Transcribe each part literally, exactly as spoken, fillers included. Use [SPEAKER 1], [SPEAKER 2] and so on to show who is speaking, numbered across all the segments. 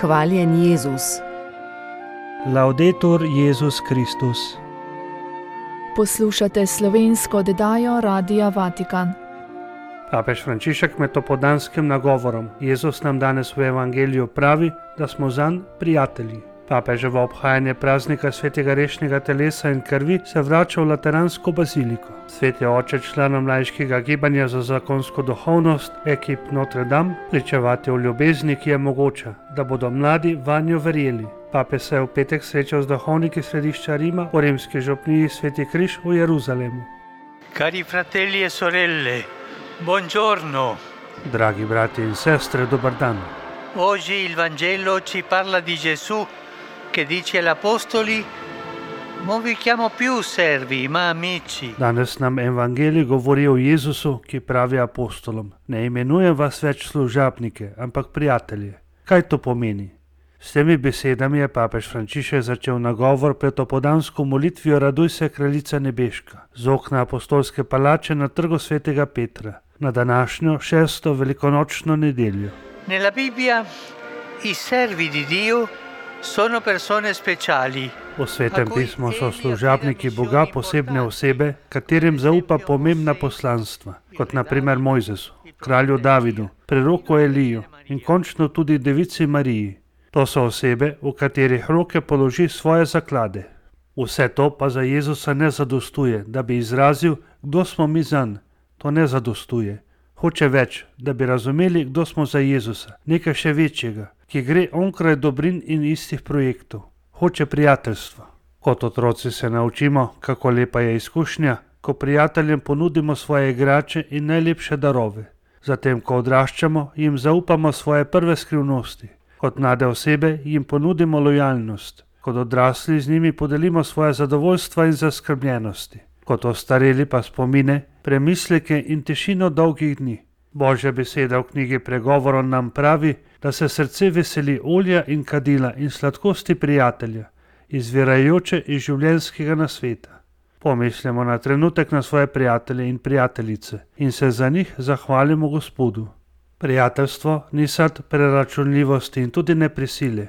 [SPEAKER 1] Hvaljen Jezus.
[SPEAKER 2] Laudetur Jezus Kristus.
[SPEAKER 3] Poslušate slovensko oddajo Radia Vatikan.
[SPEAKER 2] Papež Frančišek med opoldanskim nagovorom Jezus nam danes v evangeliju pravi, da smo zanj prijatelji. Papeževo obhajanje praznika svetega rešnjega telesa in krvi se vrača v Lateransko baziliko. Sveti oče članom laiškega gibanja za zakonsko duhovnost ekip Notre Dame pričevati o ljubezni, ki je mogoča, da bodo mladi vanjo verjeli. Papež se je v petek srečal z duhovniki središča Rima v rimski župniji Sveti križ v Jeruzalemu.
[SPEAKER 4] Cari fratelli e sorelle, buongiorno.
[SPEAKER 2] Dragi brati in sestre, dober dan.
[SPEAKER 4] Oggi il Vangelo ci parla di Gesù che dice agli apostoli: non vi chiamo più servi, ma amici.
[SPEAKER 2] Danes nam evangelij govori o Jezusu, ki pravi apostolom: ne imenujem vas več služabnike, ampak prijatelje. Kaj to pomeni? S temi besedami je papež Frančišek začel nagovor pred opoldansko molitvijo Raduj se, kraljica nebeška, z okna apostolske palače na trgu svetega Petra, na današnjo šesto velikonočno nedeljo.
[SPEAKER 4] Nella Bibbia i servi di Dio sono persone speciali.
[SPEAKER 2] V svetem pismu so služabniki Boga posebne osebe, katerim zaupa pomembna poslanstva, kot na primer Mojzesu, kralju Davidu, preroku Eliju in končno tudi devici Mariji. To so osebe, v katerih roke položi svoje zaklade. Vse to pa za Jezusa ne zadostuje, da bi izrazil, kdo smo mi zanj. To ne zadostuje. Hoče več, da bi razumeli, kdo smo za Jezusa, nekaj še večjega, ki gre onkraj dobrin in istih projektov. Hoče prijateljstvo. Kot otroci se naučimo, kako lepa je izkušnja, ko prijateljem ponudimo svoje igrače in najlepše darove. Zatem, ko odraščamo, jim zaupamo svoje prve skrivnosti. Kot mlade osebe jim ponudimo lojalnost. Kot odrasli z njimi podelimo svoje zadovoljstva in zaskrbljenosti. Kot ostareli pa spomine, premisleke in tišino dolgih dni. Božja beseda v knjigi Pregovorov nam pravi, da se srce veseli olja in kadila in sladkosti prijatelja, izvirajoče iz življenjskega nasveta. Pomislimo na trenutek na svoje prijatelje in prijateljice in se za njih zahvalimo Gospodu. Prijateljstvo ni sad preračunljivosti in tudi ne prisile.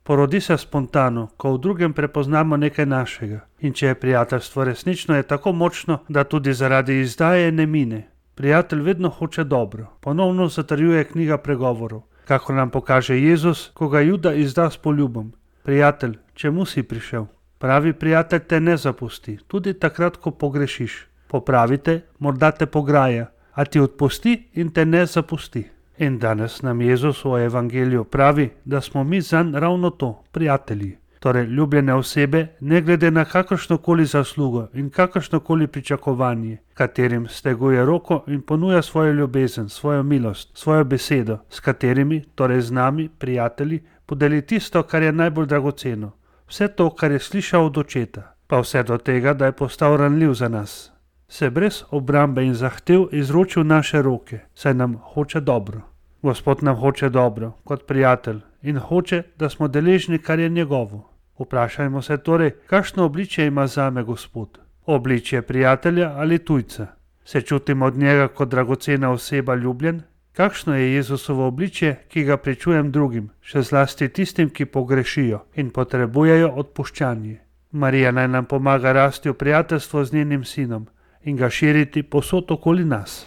[SPEAKER 2] Porodi se spontano, ko v drugem prepoznamo nekaj našega. In če je prijateljstvo resnično, je tako močno, da tudi zaradi izdaje ne mine. Prijatelj vedno hoče dobro. Ponovno zatrjuje knjiga Pregovorov, kako nam pokaže Jezus, ko ga Juda izda s poljubom. Prijatelj, čemu si prišel? Pravi prijatelj te ne zapusti, tudi takrat, ko pogrešiš. Popravite, morda te pograja, a ti odpusti in te ne zapusti. In danes nam Jezus v evangeliju pravi, da smo mi zanj ravno to, prijatelji. Torej ljubljene osebe, ne glede na kakršnokoli zaslugo in kakršnokoli pričakovanje, katerim steguje roko in ponuja svojo ljubezen, svojo milost, svojo besedo, s katerimi, torej z nami, prijatelji, podeli tisto, kar je najbolj dragoceno. Vse to, kar je slišal od očeta, pa vse do tega, da je postal ranljiv za nas. Se brez obrambe in zahtev izročil naše roke, saj nam hoče dobro. Gospod nam hoče dobro, kot prijatelj, in hoče, da smo deležni, kar je njegovo. Vprašajmo se torej, kakšno obličje ima zame Gospod? Obličje prijatelja ali tujca? Se čutim od njega kot dragocena oseba ljubljen? Kakšno je Jezusovo obličje, ki ga pričujem drugim, še zlasti tistim, ki pogrešijo in potrebujejo odpuščanje? Marija naj nam pomaga rasti v prijateljstvo z njenim sinom in ga širiti povsod okoli nas.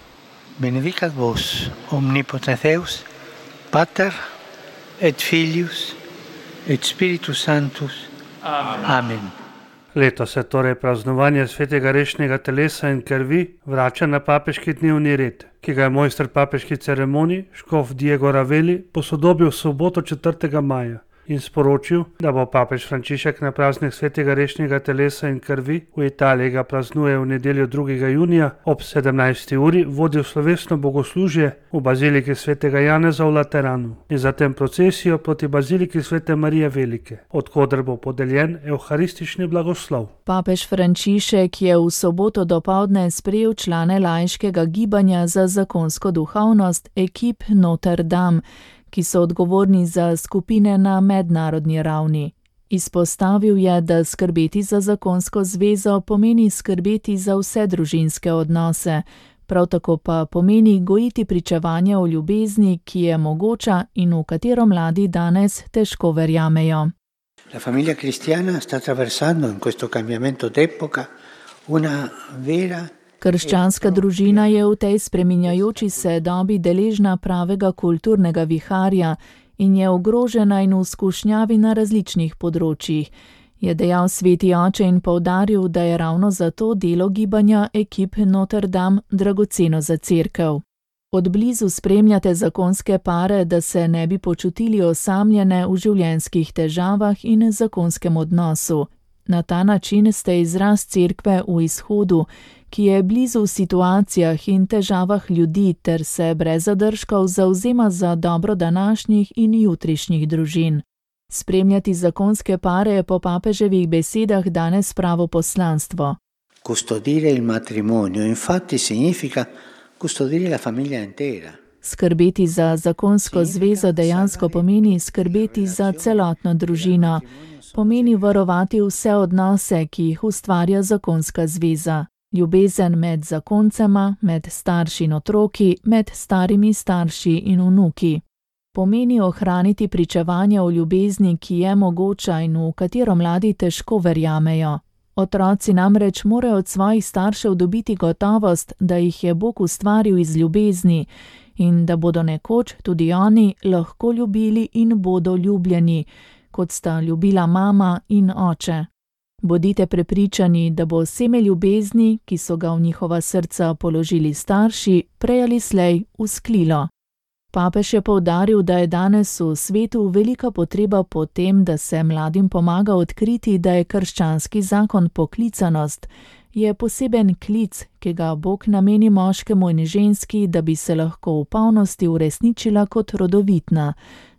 [SPEAKER 4] Benedicat vos, omnipotens Deus, Pater et Filius et Spiritus Sanctus. Amen. Amen.
[SPEAKER 2] Letos se torej praznovanje svetega rešnjega telesa in krvi vrača na papeški dnevni red, ki ga je mojster papeški ceremonij, škof Diego Raveli, posodobil v soboto četrtega maja in sporočil, da bo papež Frančišek na praznik svetega rešnjega telesa in krvi, v Italiji ga praznuje v nedeljo drugega junija, ob sedemnajsti uri vodil slovesno bogoslužje v baziliki svetega Janeza v Lateranu in zatem procesijo proti baziliki svete Marije Velike, odkoder bo podeljen evharistični blagoslov.
[SPEAKER 3] Papež Frančišek je v soboto dopoldne sprejel člane laiškega gibanja za zakonsko duhovnost ekip Notre Dame, ki so odgovorni za skupine na mednarodni ravni. Izpostavil je, da skrbeti za zakonsko zvezo pomeni skrbeti za vse družinske odnose, Prav tako pa pomeni gojiti pričevanje o ljubezni, ki je mogoča in v katero mladi danes težko verjamejo.
[SPEAKER 4] La famiglia cristiana sta attraversando in questo cambiamento d'epoca una vera.
[SPEAKER 3] Krščanska družina je v tej spreminjajoči se dobi deležna pravega kulturnega viharja in je ogrožena in v skušnjavi na različnih področjih, je dejal sveti oče in poudaril, da je ravno zato delo gibanja Equipe Notre Dame dragoceno za cerkev. Od blizu spremljate zakonske pare, da se ne bi počutili osamljene v življenjskih težavah in zakonskem odnosu. Na ta način ste izraz cerkve v izhodu, ki je blizu v situacijah in težavah ljudi ter se brez zadržkov zavzema za dobro današnjih in jutrišnjih družin. Spremljati zakonske pare je po papeževih besedah danes pravo poslanstvo.
[SPEAKER 4] Custodire il matrimonio infatti significa custodire la famiglia intera.
[SPEAKER 3] Skrbeti za zakonsko zvezo dejansko pomeni skrbeti za celotno družino. Pomeni varovati vse odnose, ki jih ustvarja zakonska zveza. Ljubezen med zakoncema, med starši in otroki, med starimi starši in vnuki. Pomeni ohraniti pričevanje o ljubezni, ki je mogoča in v katero mladi težko verjamejo. Otroci namreč morajo od svojih staršev dobiti gotovost, da jih je Bog ustvaril iz ljubezni in da bodo nekoč tudi oni lahko ljubili in bodo ljubljeni, kot sta ljubila mama in oče. Bodite prepričani, da bo seme ljubezni, ki so ga v njihova srca položili starši, prej ali slej vzklilo. Papež je poudaril, da je danes v svetu velika potreba po tem, da se mladim pomaga odkriti, da je krščanski zakon poklicanost, je poseben klic, ki ga Bog nameni moškemu in ženski, da bi se lahko v polnosti uresničila kot rodovitna,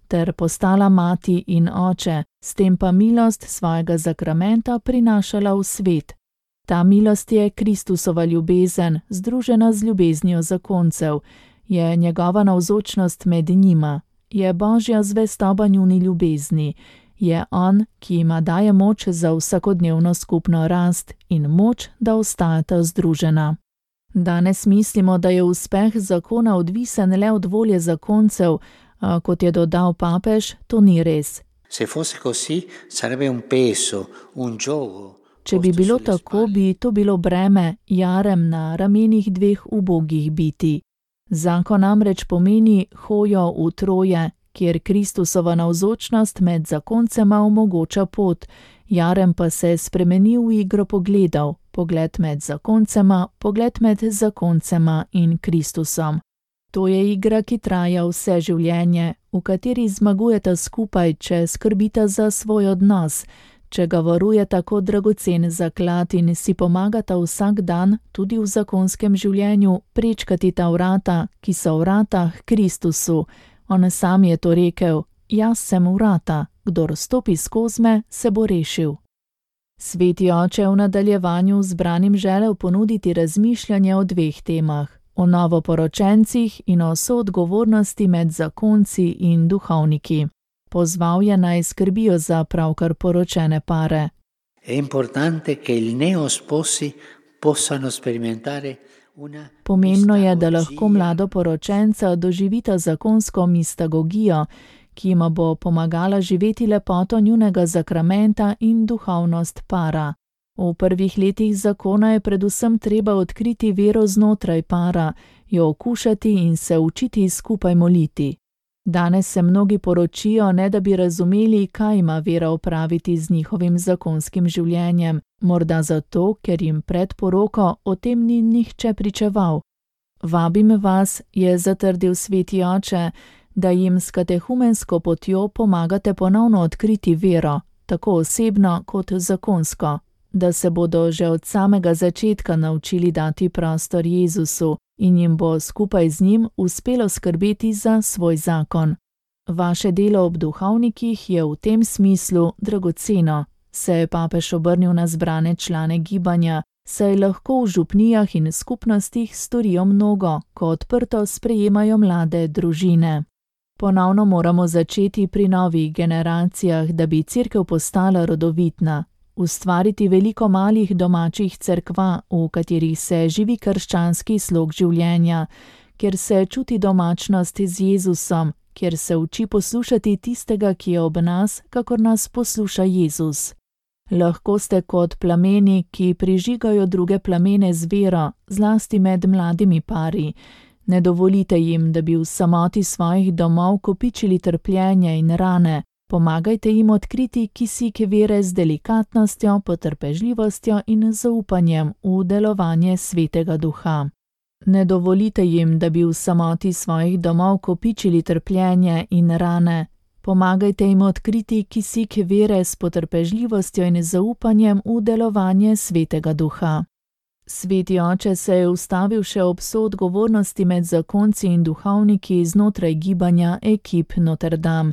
[SPEAKER 3] ter postala mati in oče, s tem pa milost svojega zakramenta prinašala v svet. Ta milost je Kristusova ljubezen, združena z ljubeznijo zakoncev, je njegova navzočnost med njima, je Božja zvestoba njuni ljubezni, je on, ki jima daje moč za vsakodnevno skupno rast in moč, da ostajata združena. Danes mislimo, da je uspeh zakona odvisen le od volje zakoncev, a kot je dodal papež, to ni res.
[SPEAKER 4] Se fosse così, sarebbe un peso, un giogo.
[SPEAKER 3] Če bi bilo tako, bi to bilo breme, jarem na ramenih dveh ubogih biti. Zakon namreč pomeni hojo v troje, kjer Kristusova navzočnost med zakoncema omogoča pot, jarem pa se spremeni v igro pogledov, pogled med zakoncema, pogled med zakoncema in Kristusom. To je igra, ki traja vse življenje, v kateri zmagujeta skupaj, če skrbita za svoj odnos, če ga varujeta kot dragocen zaklad in si pomagata vsak dan, tudi v zakonskem življenju, prečkati ta vrata, ki so vrata k Kristusu. On sam je to rekel, jaz sem vrata, kdor stopi skozi me, se bo rešil. Sveti oče v nadaljevanju zbranim želel ponuditi razmišljanje o dveh temah, o novoporočencih in o soodgovornosti med zakonci in duhovniki. Pozval je naj skrbijo za pravkar poročene pare.
[SPEAKER 4] È importante che i neosposi possano sperimentare una.
[SPEAKER 3] Pomembno je, da lahko mladoporočenca doživita zakonsko mistagogijo, ki jima bo pomagala živeti lepoto njunega zakramenta in duhovnost para. V prvih letih zakona je predvsem treba odkriti vero znotraj para, jo okušati in se učiti skupaj moliti. Danes se mnogi poročijo, ne da bi razumeli, kaj ima vera opraviti z njihovim zakonskim življenjem, morda zato, ker jim pred poroko o tem ni nihče pričeval. Vabim vas, je zatrdil sveti oče, da jim s katehumensko potjo pomagate ponovno odkriti vero, tako osebno kot zakonsko, da se bodo že od samega začetka naučili dati prostor Jezusu in jim bo skupaj z njim uspelo skrbeti za svoj zakon. Vaše delo ob duhovnikih je v tem smislu dragoceno, se je papež obrnil na zbrane člane gibanja, saj lahko v župnijah in skupnostih storijo mnogo, ko odprto sprejemajo mlade družine. Ponovno moramo začeti pri novih generacijah, da bi cerkev postala rodovitna. ustvariti veliko malih domačih cerkva, v katerih se živi krščanski slog življenja, kjer se čuti domačnost z Jezusom, kjer se uči poslušati tistega, ki je ob nas, kakor nas posluša Jezus. Lahko ste kot plameni, ki prižigajo druge plamene z vero, zlasti med mladimi pari. Ne dovolite jim, da bi v samoti svojih domov kopičili trpljenje in rane. Pomagajte jim odkriti kisik vere z delikatnostjo, potrpežljivostjo in zaupanjem v delovanje Svetega Duha. Ne dovolite jim, da bi v samoti svojih domov kopičili trpljenje in rane. Pomagajte jim odkriti kisik vere s potrpežljivostjo in zaupanjem v delovanje Svetega Duha. Sveti oče se je ustavil še ob soodgovornosti med zakonci in duhovniki znotraj gibanja ekip Notre Dame.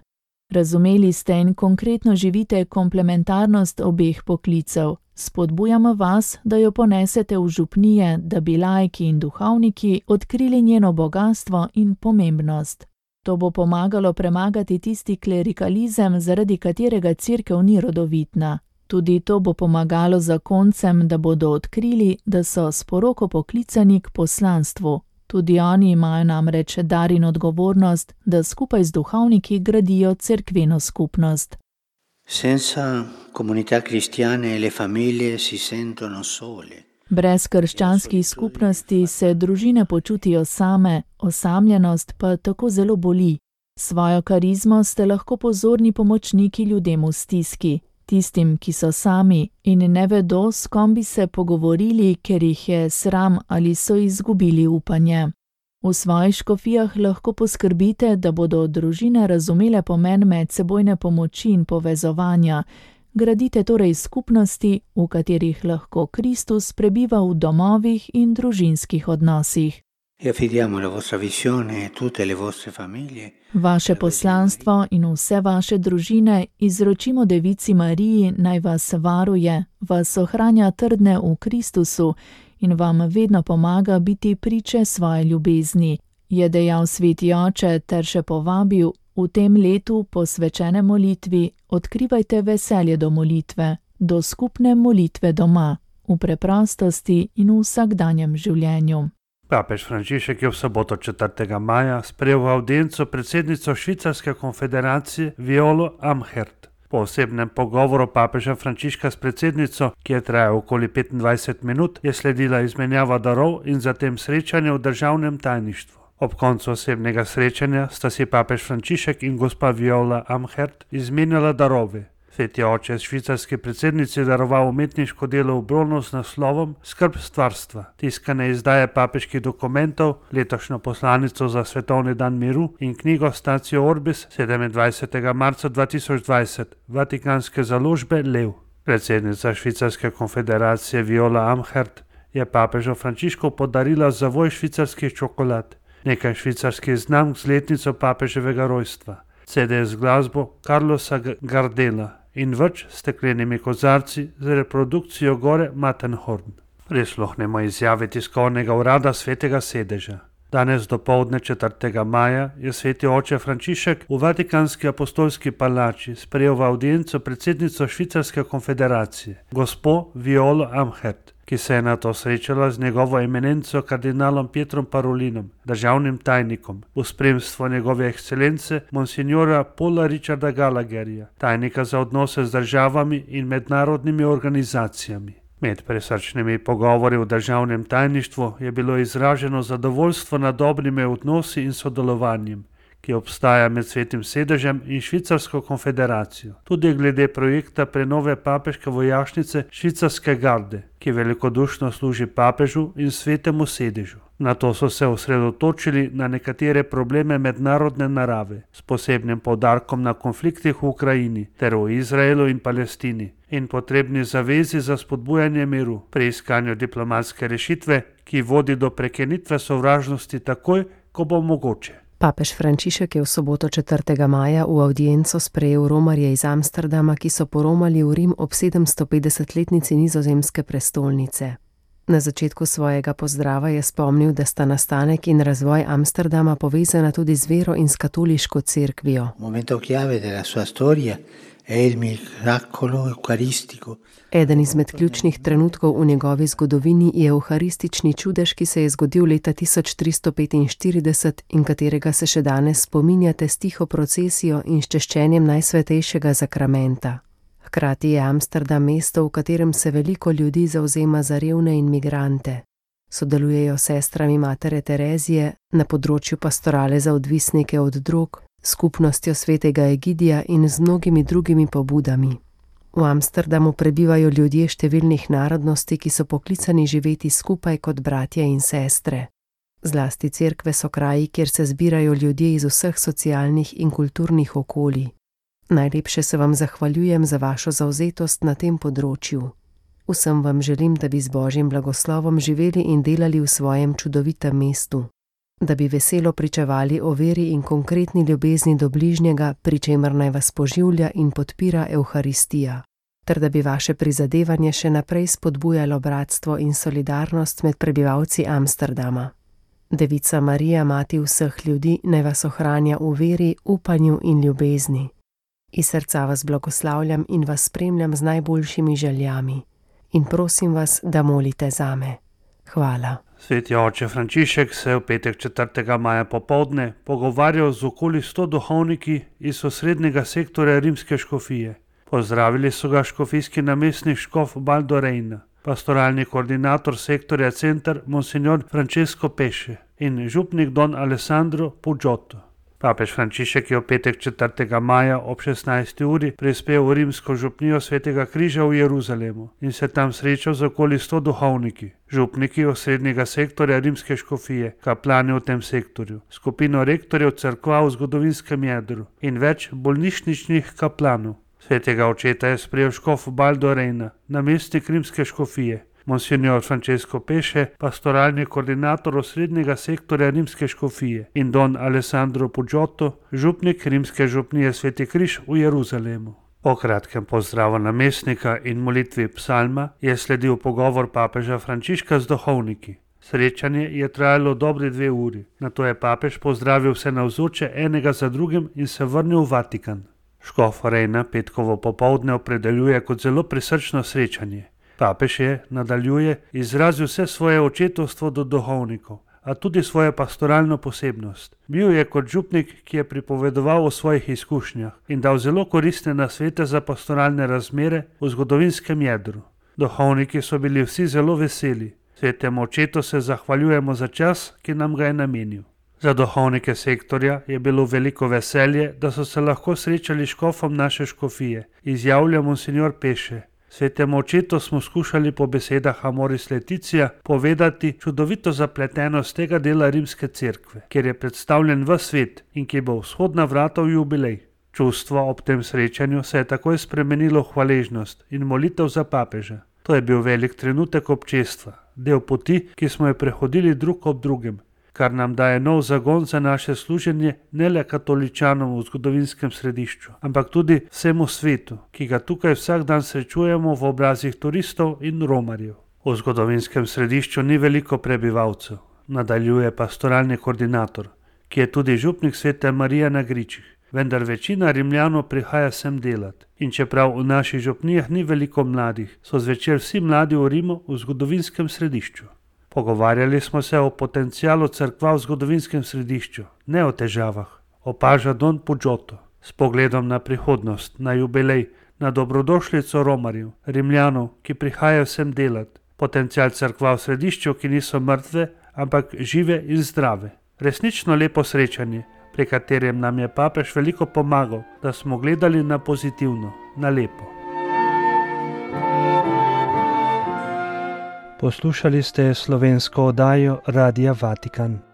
[SPEAKER 3] Razumeli ste in konkretno živite komplementarnost obeh poklicev. Spodbujamo vas, da jo ponesete v župnije, da bi laiki in duhovniki odkrili njeno bogastvo in pomembnost. To bo pomagalo premagati tisti klerikalizem, zaradi katerega cerkev ni rodovitna. Tudi to bo pomagalo zakoncem, da bodo odkrili, da so s poroko poklicani k poslanstvu. Tudi oni imajo namreč dar in odgovornost, da skupaj z duhovniki gradijo cerkveno skupnost.
[SPEAKER 4] Senza comunità cristiane le famiglie si sentono sole.
[SPEAKER 3] Brez krščanskih skupnosti se družine počutijo same, osamljenost pa tako zelo boli. Svojo karizmo ste lahko pozorni pomočniki ljudem v stiski, tistim, ki so sami in ne vedo, s kom bi se pogovorili, ker jih je sram ali so izgubili upanje. V svojih škofijah lahko poskrbite, da bodo družine razumele pomen medsebojne pomoči in povezovanja. Gradite torej skupnosti, v katerih lahko Kristus prebiva v domovih in družinskih odnosih. Vaše poslanstvo in vse vaše družine izročimo Devici Mariji, naj vas varuje, vas ohranja trdne v Kristusu in vam vedno pomaga biti priče svoje ljubezni, je dejal Sveti oče ter še povabil: v tem letu posvečene molitvi odkrivajte veselje do molitve, do skupne molitve doma, v preprostosti in v vsakdanjem življenju.
[SPEAKER 2] Papež Frančišek je v soboto četrtega maja sprejel v avdienco predsednico Švicarske konfederacije Violo Amherd. Po osebnem pogovoru papeža Frančiška s predsednico, ki je trajal okoli petindvajset minut, je sledila izmenjava darov in zatem srečanje v državnem tajništvu. Ob koncu osebnega srečanja sta si papež Frančišek in gospa Viola Amherd izmenjala darove. Sveti oče je švicarski predsednici daroval umetniško delo v bronu z naslovom Skrb stvarstva, tiskane izdaje papeških dokumentov, letošnjo poslanico za svetovni dan miru in knjigo Statio Orbis sedemindvajsetega marca dva tisoč dvajset, vatikanske založbe Lev. Predsednica Švicarske konfederacije Viola Amherd je papežu Frančišku podarila zavoj švicarskih čokolad, nekaj švicarskih znamk z letnico papeževega rojstva, C D z glasbo Carlosa Gardela in več steklenimi kozarci z reprodukcijo gore Matterhorn. Prisluhnemo izjavi tiskovnega urada Svetega sedeža. Danes dopoldne četrtega maja je sveti oče Frančišek v Vatikanski apostolski palači sprejel v avdienco predsednico Švicarske konfederacije, gospo Violo Amherd, ki se je nato srečala z njegovo eminenco kardinalom Pietrom Parolinom, državnim tajnikom, v spremstvu njegove ekscelence monsignora Paula Richarda Gallagherja, tajnika za odnose z državami in mednarodnimi organizacijami. Med presrčnimi pogovori v državnem tajništvu je bilo izraženo zadovoljstvo nad dobrimi odnosi in sodelovanjem, ki obstaja med Svetim sedežem in Švicarsko konfederacijo, tudi glede projekta prenove papeške vojašnice Švicarske garde, ki velikodušno služi papežu in Svetemu sedežu. Na to so se osredotočili na nekatere probleme mednarodne narave, s posebnim poudarkom na konfliktih v Ukrajini ter v Izraelu in Palestini in potrebni zavezi za spodbujanje miru pri iskanju diplomatske rešitve, ki vodi do prekinitve sovražnosti takoj, ko bo mogoče.
[SPEAKER 1] Papež Frančišek je v soboto četrtega maja v avdienco sprejel romarje iz Amsterdama, ki so poromali v Rim ob sedemstopetdesetletnici nizozemske prestolnice. Na začetku svojega pozdrava je spomnil, da sta nastanek in razvoj Amsterdama povezana tudi z vero in s katoliško cerkvijo. Eden izmed ključnih trenutkov v njegovi zgodovini je evharistični čudež, ki se je zgodil leta tisoč tristo petinštirideset in katerega se še danes spominjate s tiho procesijo in s češčenjem najsvetejšega zakramenta. Hkrati je Amsterdam mesto, v katerem se veliko ljudi zavzema za revne in migrante. Sodelujejo s sestrami Matere Terezije na področju pastorale za odvisnike od drog, skupnostjo svetega Egidija in z mnogimi drugimi pobudami. V Amsterdamu prebivajo ljudje številnih narodnosti, ki so poklicani živeti skupaj kot bratje in sestre. Zlasti cerkve so kraji, kjer se zbirajo ljudje iz vseh socialnih in kulturnih okolij. Najlepše se vam zahvaljujem za vašo zavzetost na tem področju. Vsem vam želim, da bi z Božjim blagoslovom živeli in delali v svojem čudovitem mestu, da bi veselo pričevali o veri in konkretni ljubezni do bližnjega, pri čemer naj vas poživlja in podpira Evharistija, ter da bi vaše prizadevanje še naprej spodbujalo bratstvo in solidarnost med prebivalci Amsterdama. Devica Marija, mati vseh ljudi, naj vas ohranja v veri, upanju in ljubezni. Iz srca vas blagoslavljam in vas spremljam z najboljšimi željami. In prosim vas, da molite zame. Hvala.
[SPEAKER 2] Sveti oče Frančišek se je v petek četrtega maja popoldne pogovarjal z okoli sto duhovniki iz osrednjega sektorja rimske škofije. Pozdravili so ga škofijski namestnik škof Baldo Reina, pastoralni koordinator sektorja Center monsignor Francesco Pesce in župnik don Alessandro Pugiotto. Papež Frančišek je v petek četrtega maja ob šestnajsti uri prispel v rimsko župnijo Svetega križa v Jeruzalemu in se tam srečal z okoli sto duhovniki, župniki osrednjega sektorja rimske škofije, kaplani v tem sektorju, skupino rektorjev cerkva v zgodovinskem jedru in več bolnišničnih kaplanov. Svetega očeta je sprejel škof Baldo Reina, namestnik rimske škofije, monsignor Francesco Pesce, pastoralni koordinator osrednjega sektorja rimske škofije in don Alessandro Pugiotto, župnik rimske župnije Sveti križ v Jeruzalemu. Po kratkem pozdravu namestnika in molitvi psalma je sledil pogovor papeža Frančiška z duhovniki. Srečanje je trajalo dobri dve uri, nato je papež pozdravil vse navzoče enega za drugim in se vrnil v Vatikan. Škof Reina petkovo popoldne opredeljuje kot zelo prisrčno srečanje. Papež je, nadaljuje, izrazil vse svoje očetovstvo do duhovnikov, a tudi svojo pastoralno posebnost. Bil je kot župnik, ki je pripovedoval o svojih izkušnjah in dal zelo koristne nasvete za pastoralne razmere v zgodovinskem jedru. Duhovniki so bili vsi zelo veseli. Svetemu očetu se zahvaljujemo za čas, ki nam ga je namenil. Za duhovnike sektorja je bilo veliko veselje, da so se lahko srečali s škofom naše škofije, izjavlja monsignor Pesce. Svetemu očetu smo skušali po besedah Amoris Laetitia povedati čudovito zapletenost tega dela rimske cerkve, kjer je predstavljen ves svet in ki bo vzhodna vrata v jubilej. Čustvo ob tem srečanju se je takoj spremenilo v hvaležnost in molitev za papeža. To je bil velik trenutek občestva, del poti, ki smo jo prehodili drug ob drugem, kar nam daje nov zagon za naše služenje ne le katoličanom v zgodovinskem središču, ampak tudi vsemu svetu, ki ga tukaj vsak dan srečujemo v obrazih turistov in romarjev. V zgodovinskem središču ni veliko prebivalcev, nadaljuje pastoralni koordinator, ki je tudi župnik Svete Marije na Gričih, vendar večina Rimljanov prihaja sem delat. In čeprav v naših župnijah ni veliko mladih, so zvečer vsi mladi v Rimu v zgodovinskem središču. Pogovarjali smo se o potencialu cerkva v zgodovinskem središču, ne o težavah, opaža don Pugiotto, s pogledom na prihodnost, na jubilej, na dobrodošlico romarjev, Rimljanov, ki prihajajo sem delat, potencial cerkva v središču, ki niso mrtve, ampak žive in zdrave. Resnično lepo srečanje, pri katerem nam je papež veliko pomagal, da smo gledali na pozitivno, na lepo.
[SPEAKER 5] Poslušali ste slovensko oddajo Radia Vatikan.